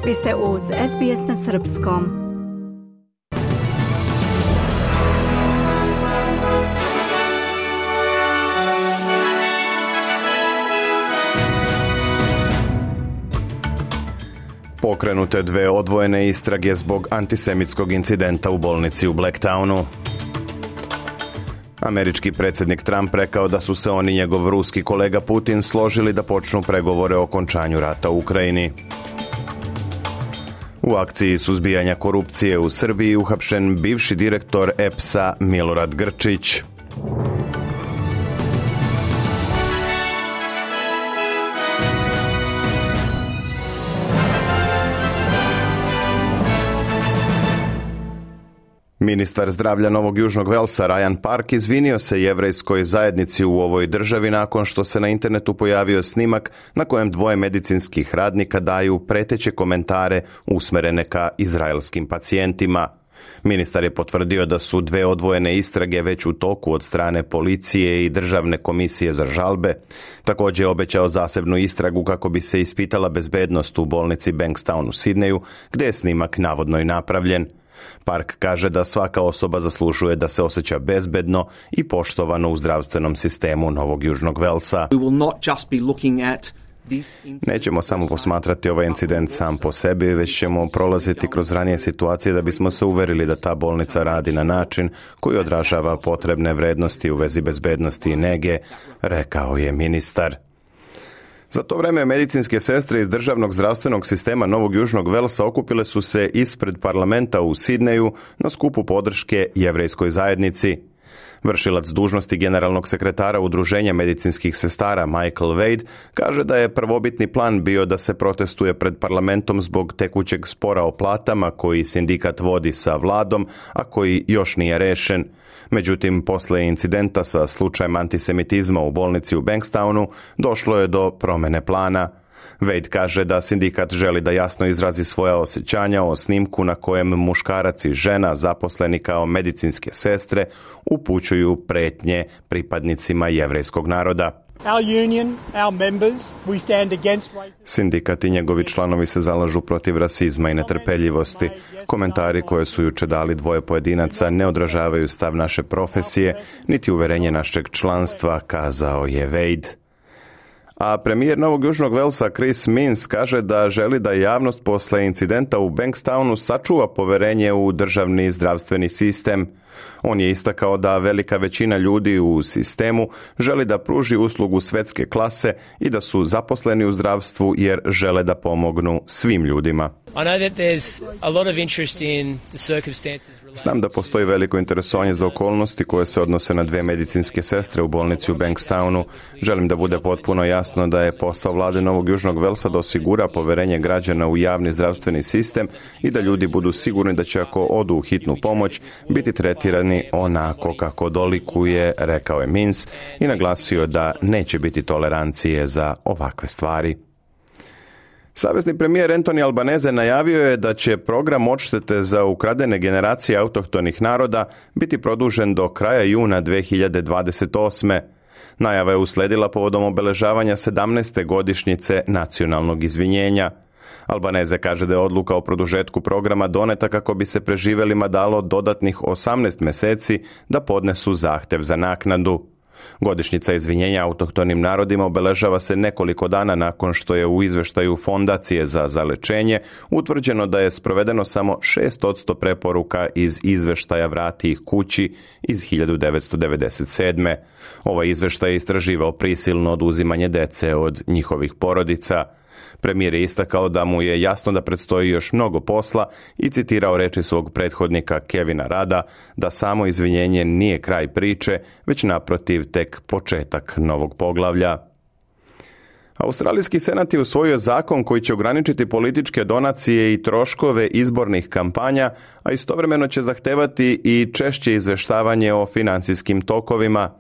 Vi ste uz SBS na srpskom. Pokrenute dve odvojene istrage zbog antisemitskog incidenta u bolnici u Blacktownu. Američki predsjednik Trump rekao da su se on i njegov ruski kolega Putin složili da počnu pregovore o okončanju rata u Ukrajini. U akciji suzbijanja korupcije u Srbiji uhapšen bivši direktor EPS-a Milorad Grčić. Ministar zdravlja Novog Južnog Velsa Ryan Park izvinio se jevrejskoj zajednici u ovoj državi nakon što se na internetu pojavio snimak na kojem dvoje medicinskih radnika daju preteće komentare usmerene ka izraelskim pacijentima. Ministar je potvrdio da su dve odvojene istrage već u toku od strane policije i Državne komisije za žalbe. Također je obećao zasebnu istragu kako bi se ispitala bezbednost u bolnici Bankstown u Sidneju, gdje je snimak navodno i napravljen. Park kaže da svaka osoba zaslužuje da se osjeća bezbedno i poštovano u zdravstvenom sistemu Novog Južnog Velsa. Nećemo samo posmatrati ovaj incident sam po sebi, već ćemo prolaziti kroz ranije situacije da bismo se uverili da ta bolnica radi na način koji odražava potrebne vrednosti u vezi bezbednosti i nege, rekao je ministar. Za to vreme medicinske sestre iz državnog zdravstvenog sistema Novog Južnog Velsa okupile su se ispred parlamenta u Sidneju na skupu podrške jevrejskoj zajednici. Vršilac dužnosti generalnog sekretara Udruženja medicinskih sestara Michael Wade kaže da je prvobitni plan bio da se protestuje pred parlamentom zbog tekućeg spora o platama koji sindikat vodi sa vladom, a koji još nije rešen. Međutim, posle incidenta sa slučajem antisemitizma u bolnici u Bankstownu došlo je do promene plana. Wade kaže da sindikat želi da jasno izrazi svoja osjećanja o snimku na kojem muškarac i žena zaposleni kao medicinske sestre upućuju pretnje pripadnicima jevrejskog naroda. Sindikat i njegovi članovi se zalažu protiv rasizma i netrpeljivosti. Komentari koje su juče dali dvoje pojedinaca ne odražavaju stav naše profesije, niti uverenje našeg članstva, kazao je Wade. A premijer Novog Južnog Velsa Chris Minns kaže da želi da javnost posle incidenta u Bankstownu sačuva poverenje u državni zdravstveni sistem. On je istakao da velika većina ljudi u sistemu želi da pruži uslugu svetske klase i da su zaposleni u zdravstvu jer žele da pomognu svim ljudima. Znam da postoji veliko interesovanje za okolnosti koje se odnose na dve medicinske sestre u bolnici u Bankstownu. Želim da bude potpuno jasno da je posao vlade Novog Južnog Velsa da osigura poverenje građana u javni zdravstveni sistem i da ljudi budu sigurni da će ako odu u hitnu pomoć biti tretirani onako kako dolikuje, rekao je Minns i naglasio da neće biti tolerancije za ovakve stvari. Savezni premijer Anthony Albanese najavio je da će program odštete za ukradene generacije autohtonih naroda biti produžen do kraja juna 2028. Najava je usledila povodom obeležavanja 17. godišnjice nacionalnog izvinjenja. Albanese kaže da je odluka o produžetku programa doneta kako bi se preživelima dalo dodatnih 18 meseci da podnesu zahtev za naknadu. Godišnjica izvinjenja autohtonim narodima obeležava se nekoliko dana nakon što je u izveštaju Fondacije za zalečenje utvrđeno da je sprovedeno samo 6% preporuka iz izveštaja Vrati ih kući iz 1997. Ovaj izveštaj je istraživao prisilno oduzimanje dece od njihovih porodica. Premijer je istakao da mu je jasno da predstoji još mnogo posla i citirao reči svog prethodnika Kevina Rada da samo izvinjenje nije kraj priče, već naprotiv tek početak novog poglavlja. Australijski senat je usvojio zakon koji će ograničiti političke donacije i troškove izbornih kampanja, a istovremeno će zahtevati i češće izveštavanje o financijskim tokovima.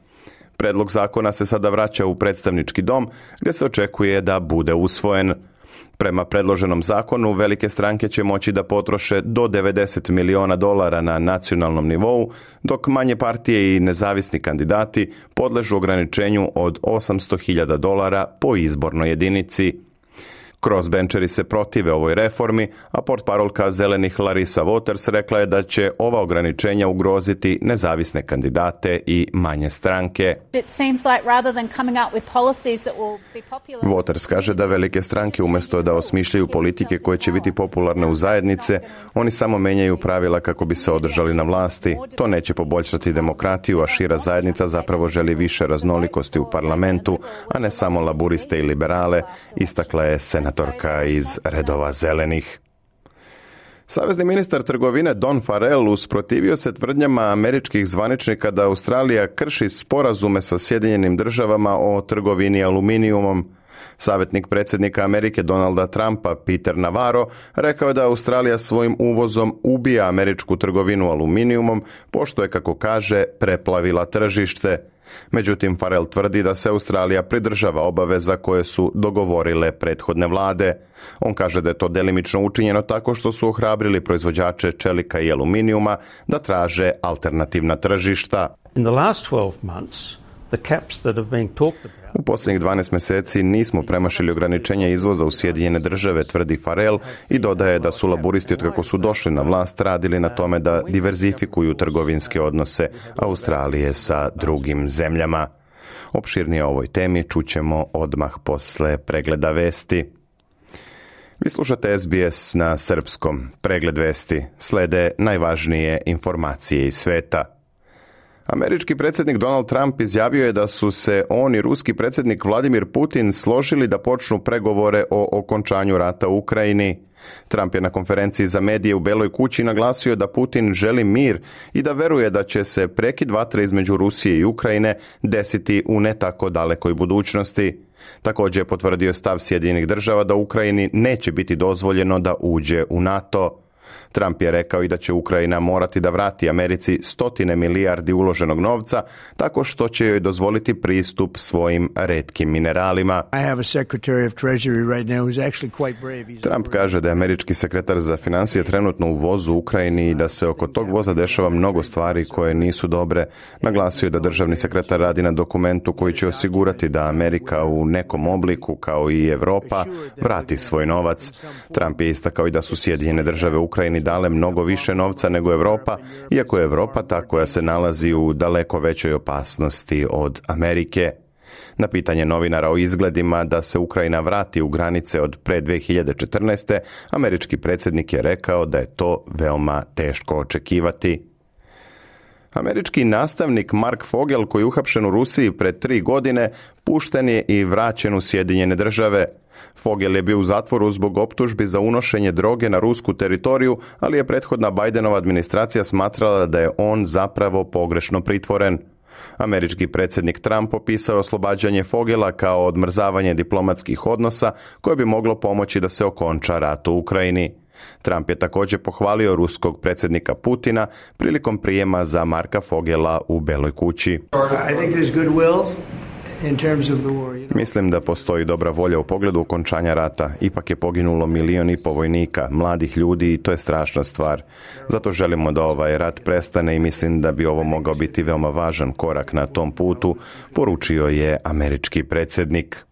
Predlog zakona se sada vraća u predstavnički dom, gdje se očekuje da bude usvojen. Prema predloženom zakonu, velike stranke će moći da potroše do $90 miliona na nacionalnom nivou, dok manje partije i nezavisni kandidati podležu ograničenju od $800.000 po izbornoj jedinici. Crossbencheri se protive ovoj reformi, a portparolka Zelenih Larissa Waters rekla je da će ova ograničenja ugroziti nezavisne kandidate i manje stranke. Waters kaže da velike stranke umjesto da osmišljaju politike koje će biti popularne u zajednice, oni samo menjaju pravila kako bi se održali na vlasti. To neće poboljšati demokratiju, a šira zajednica zapravo želi više raznolikosti u parlamentu, a ne samo laburiste i liberale, istakla je senatorka iz redova zelenih. Savezni ministar trgovine Don Farrell usprotivio se tvrdnjama američkih zvaničnika da Australija krši sporazume sa Sjedinjenim državama o trgovini aluminijumom. Savjetnik predsjednika Amerike Donalda Trumpa Peter Navarro rekao je da Australija svojim uvozom ubija američku trgovinu aluminijumom, pošto je, kako kaže, preplavila tržište. Međutim, Farrell tvrdi da se Australija pridržava obaveza koje su dogovorile prethodne vlade. On kaže da je to delimično učinjeno tako što su ohrabrili proizvođače čelika i aluminijuma da traže alternativna tržišta. U posljednjih 12 mjeseci nismo premašili ograničenja izvoza u Sjedinjene države, tvrdi Farrell, i dodaje da su laburisti od kako su došli na vlast radili na tome da diverzifikuju trgovinske odnose Australije sa drugim zemljama. Opširnije o ovoj temi čućemo odmah posle pregleda vesti. Vi slušate SBS na srpskom. Pregled vesti. Slede najvažnije informacije iz sveta. Američki predsjednik Donald Trump izjavio je da su se on i ruski predsjednik Vladimir Putin složili da počnu pregovore o okončanju rata u Ukrajini. Trump je na konferenciji za medije u Beloj kući naglasio da Putin želi mir i da veruje da će se prekid vatre između Rusije i Ukrajine desiti u ne tako dalekoj budućnosti. Također je potvrdio stav Sjedinjenih država da Ukrajini neće biti dozvoljeno da uđe u NATO. Trump je rekao i da će Ukrajina morati da vrati Americi 100 milijardi uloženog novca tako što će joj dozvoliti pristup svojim retkim mineralima. Trump kaže da je američki sekretar za financije trenutno u vozu u Ukrajini i da se oko tog voza dešava mnogo stvari koje nisu dobre. Naglasio je da državni sekretar radi na dokumentu koji će osigurati da Amerika u nekom obliku, kao i Evropa, vrati svoj novac. Trump je istakao i da su Sjedinjene države Ukrajini dale mnogo više novca nego Evropa, iako je Evropa ta koja se nalazi u daleko većoj opasnosti od Amerike. Na pitanje novinara o izgledima da se Ukrajina vrati u granice od pre 2014. američki predsjednik je rekao da je to veoma teško očekivati. Američki nastavnik Mark Fogel, koji je uhapšen u Rusiji pred 3 godine, pušten je i vraćen u Sjedinjene države. Fogel je bio u zatvoru zbog optužbi za unošenje droge na rusku teritoriju, ali je prethodna Bidenova administracija smatrala da je on zapravo pogrešno pritvoren. Američki predsjednik Trump opisao oslobađanje Fogela kao odmrzavanje diplomatskih odnosa koje bi moglo pomoći da se okonča rat u Ukrajini. Trump je također pohvalio ruskog predsjednika Putina prilikom prijema za Marka Fogela u Beloj kući. Mislim da postoji dobra volja u pogledu okončanja rata. Ipak je poginulo 1,5 milijuna vojnika, mladih ljudi, i to je strašna stvar. Zato želimo da ovaj rat prestane i mislim da bi ovo mogao biti veoma važan korak na tom putu, poručio je američki predsjednik.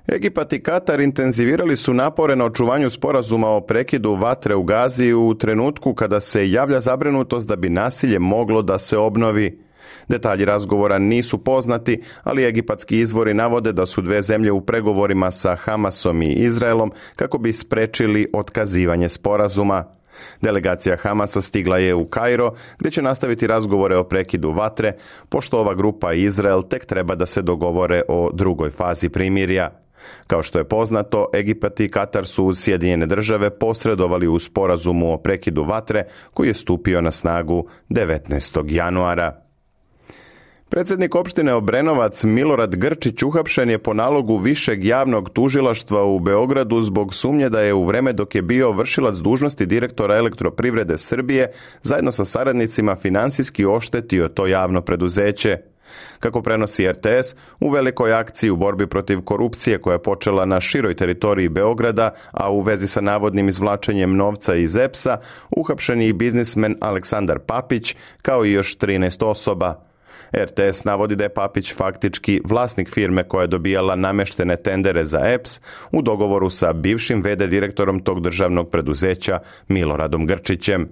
Egipat i Katar intenzivirali su napore na očuvanju sporazuma o prekidu vatre u Gazi u trenutku kada se javlja zabrinutost da bi nasilje moglo da se obnovi. Detalji razgovora nisu poznati, ali egipatski izvori navode da su dve zemlje u pregovorima sa Hamasom i Izraelom kako bi sprečili otkazivanje sporazuma. Delegacija Hamasa stigla je u Kairo, gdje će nastaviti razgovore o prekidu vatre, pošto ova grupa i Izrael tek treba da se dogovore o drugoj fazi primirja. Kao što je poznato, Egipat i Katar su uz Sjedinjene države posredovali u sporazumu o prekidu vatre koji je stupio na snagu 19. januara. Predsjednik opštine Obrenovac Milorad Grčić uhapšen je po nalogu Višeg javnog tužilaštva u Beogradu zbog sumnje da je u vreme dok je bio vršilac dužnosti direktora Elektroprivrede Srbije zajedno sa saradnicima finansijski oštetio to javno preduzeće. Kako prenosi RTS, u velikoj akciji u borbi protiv korupcije koja je počela na široj teritoriji Beograda, a u vezi sa navodnim izvlačenjem novca iz EPS-a, uhapšen je i biznismen Aleksandar Papić, kao i još 13 osoba. RTS navodi da je Papić faktički vlasnik firme koja je dobijala nameštene tendere za EPS u dogovoru sa bivšim VD direktorom tog državnog preduzeća Miloradom Grčićem.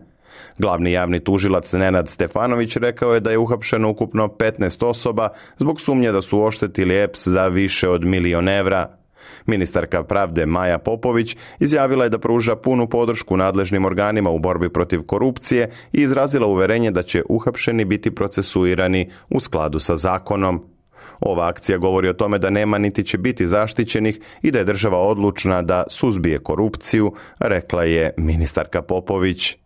Glavni javni tužilac Nenad Stefanović rekao je da je uhapšeno ukupno 15 osoba zbog sumnje da su oštetili EPS za više od 1 milion evra. Ministarka pravde Maja Popović izjavila je da pruža punu podršku nadležnim organima u borbi protiv korupcije i izrazila uverenje da će uhapšeni biti procesuirani u skladu sa zakonom. Ova akcija govori o tome da nema niti će biti zaštićenih i da je država odlučna da suzbije korupciju, rekla je ministarka Popović.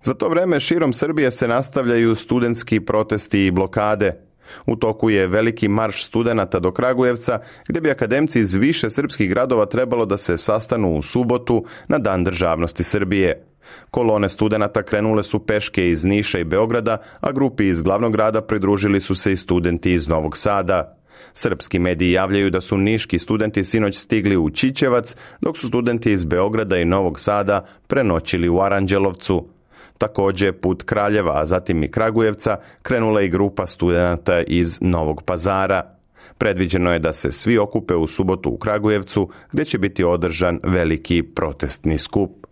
Za to vreme širom Srbije se nastavljaju studentski protesti i blokade. U toku je veliki marš studenata do Kragujevca, gdje bi akademci iz više srpskih gradova trebalo da se sastanu u subotu na Dan državnosti Srbije. Kolone studenata krenule su peške iz Niša i Beograda, a grupi iz glavnog grada pridružili su se i studenti iz Novog Sada. Srpski mediji javljaju da su niški studenti sinoć stigli u Čičevac, dok su studenti iz Beograda i Novog Sada prenoćili u Aranđelovcu. Također put Kraljeva, a zatim i Kragujevca, krenula i grupa studenata iz Novog Pazara. Predviđeno je da se svi okupe u subotu u Kragujevcu, gdje će biti održan veliki protestni skup.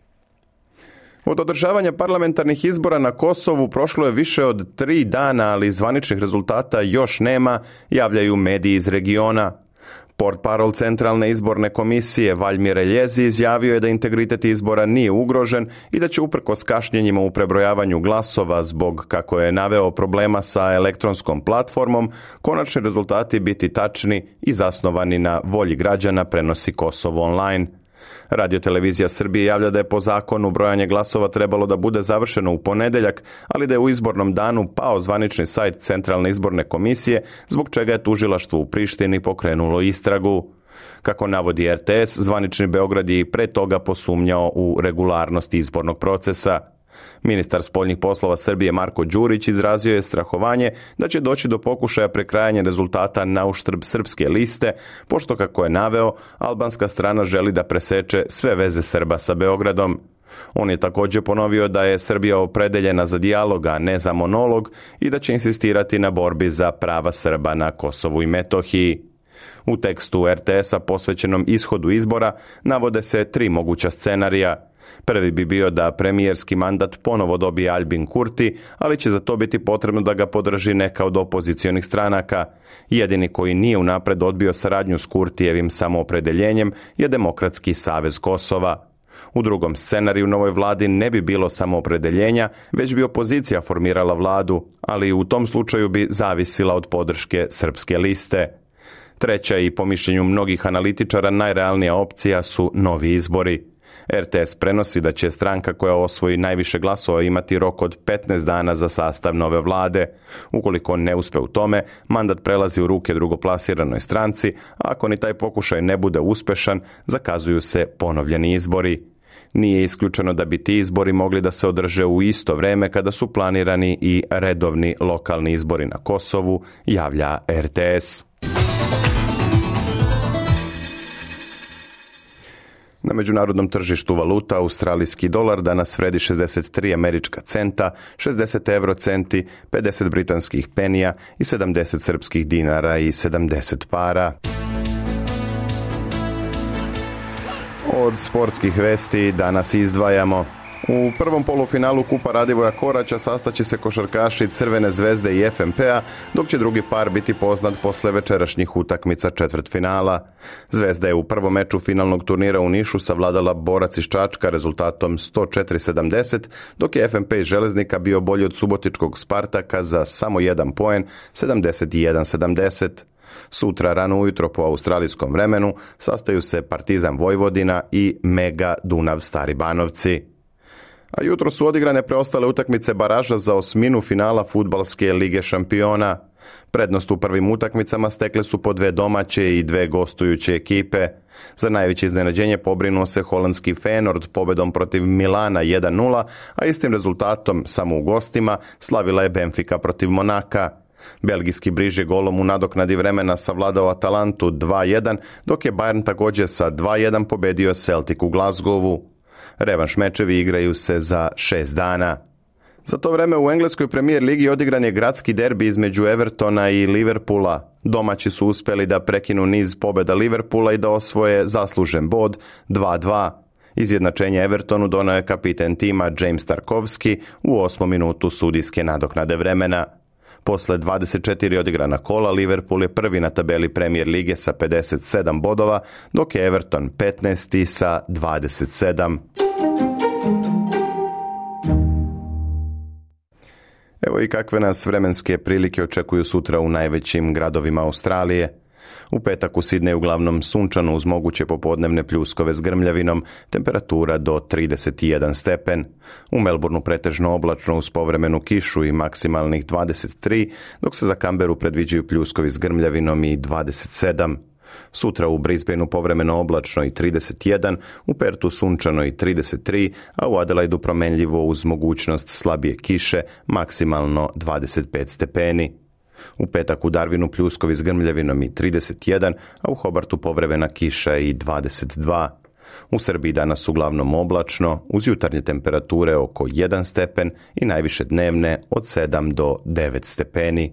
Od održavanja parlamentarnih izbora na Kosovu prošlo je više od 3 dana, ali zvaničnih rezultata još nema, javljaju mediji iz regiona. Portparol Centralne izborne komisije Valjmir Eljezi izjavio je da integritet izbora nije ugrožen i da će uprkos kašnjenjima u prebrojavanju glasova zbog, kako je naveo, problema sa elektronskom platformom, konačni rezultati biti tačni i zasnovani na volji građana, prenosi Kosovo online. Radiotelevizija Srbije javlja da je po zakonu brojanje glasova trebalo da bude završeno u ponedjeljak, ali da je u izbornom danu pao zvanični sajt Centralne izborne komisije, zbog čega je tužilaštvo u Prištini pokrenulo istragu. Kako navodi RTS, zvanični Beograd je i pre toga posumnjao u regularnost izbornog procesa. Ministar spoljnih poslova Srbije Marko Đurić izrazio je strahovanje da će doći do pokušaja prekrajanja rezultata na uštrb srpske liste, pošto, kako je naveo, albanska strana želi da preseče sve veze Srba sa Beogradom. On je također ponovio da je Srbija opredeljena za dijalog, a ne za monolog, i da će insistirati na borbi za prava Srba na Kosovu i Metohiji. U tekstu RTS-a posvećenom ishodu izbora navode se 3 moguća scenarija. Prvi bi bio da premijerski mandat ponovo dobije Albin Kurti, ali će za to biti potrebno da ga podrži neka od opozicionih stranaka. Jedini koji nije unapred odbio saradnju s Kurtijevim samoopredeljenjem je Demokratski savez Kosova. U drugom scenariju novoj vladi ne bi bilo samoopredeljenja, već bi opozicija formirala vladu, ali u tom slučaju bi zavisila od podrške srpske liste. Treća i po mišljenju mnogih analitičara najrealnija opcija su novi izbori. RTS prenosi da će stranka koja osvoji najviše glasova imati rok od 15 dana za sastav nove vlade. Ukoliko ne uspe u tome, mandat prelazi u ruke drugoplasiranoj stranci, a ako ni taj pokušaj ne bude uspešan, zakazuju se ponovljeni izbori. Nije isključeno da bi ti izbori mogli da se održe u isto vreme kada su planirani i redovni lokalni izbori na Kosovu, javlja RTS. Na međunarodnom tržištu valuta australijski dolar danas vredi 63 američka centa, 60 eurocenti, 50 britanskih penija i 70 srpskih dinara i 70 para. Od sportskih vesti danas izdvajamo. U prvom polufinalu Kupa Radivoja Koraća sastaće se košarkaši Crvene zvezde i FNP-a, dok će drugi par biti poznat posle večerašnjih utakmica četvrtfinala. Zvezda je u prvom meču finalnog turnira u Nišu savladala Borac iz Čačka rezultatom 104-70, dok je FNP iz Železnika bio bolji od subotičkog Spartaka za samo 1 poen, 71-70. Sutra rano ujutro po australijskom vremenu sastaju se Partizan Vojvodina i Mega Dunav Stari Banovci. A jutro su odigrane preostale utakmice baraža za osminu finala Fudbalske lige šampiona. Prednost u prvim utakmicama stekle su po 2 domaće i 2 gostujuće ekipe. Za najveće iznenađenje pobrinuo se holandski Feyenoord pobedom protiv Milana 1-0, a istim rezultatom samo u gostima slavila je Benfica protiv Monaka. Belgijski Briž je golom u nadoknadi vremena savladao Atalantu 2-1, dok je Bayern također sa 2-1 pobedio Celtic u Glasgowu. Revanš mečevi igraju se za 6 dana. Za to vreme u engleskoj premijer ligi odigran je gradski derbi između Evertona i Liverpoola. Domaći su uspeli da prekinu niz pobjeda Liverpoola i da osvoje zaslužen bod 2-2. Izjednačenje Evertonu donio je kapiten tima James Tarkovski u 8. minutu sudijske nadoknade vremena. Posle 24 odigrana kola, Liverpool je prvi na tabeli Premier lige sa 57 bodova, dok je Everton 15. sa 27. Evo i kakve nas vremenske prilike očekuju sutra u najvećim gradovima Australije. U petak u Sidneju uglavnom sunčano uz moguće popodnevne pljuskove s grmljavinom, temperatura do 31 stepen. U Melbourneu pretežno oblačno uz povremenu kišu i maksimalnih 23, dok se za Canberru predviđaju pljuskovi s grmljavinom i 27. Sutra u Brisbaneu povremeno oblačno i 31, u Pertu sunčano i 33, a u Adelaidu promenljivo uz mogućnost slabije kiše, maksimalno 25 stepeni. U petak u Darwinu pljuskovi s grmljavinom i 31, a u Hobartu povremena kiša i 22. U Srbiji danas uglavnom oblačno, uz jutarnje temperature oko 1 stepen i najviše dnevne od 7 do 9 stepeni.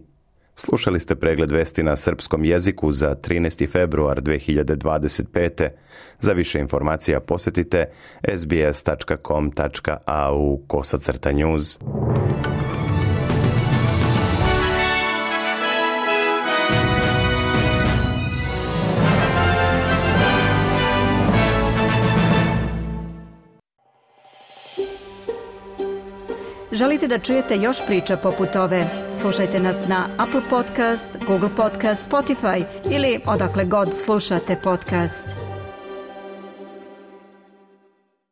Slušali ste pregled vesti na srpskom jeziku za 13. februar 2025. Za više informacija posjetite sbs.com.au/news. Želite da čujete još priča poput ove? Slušajte nas na Apple Podcast, Google Podcast, Spotify ili odakle god slušate podcast.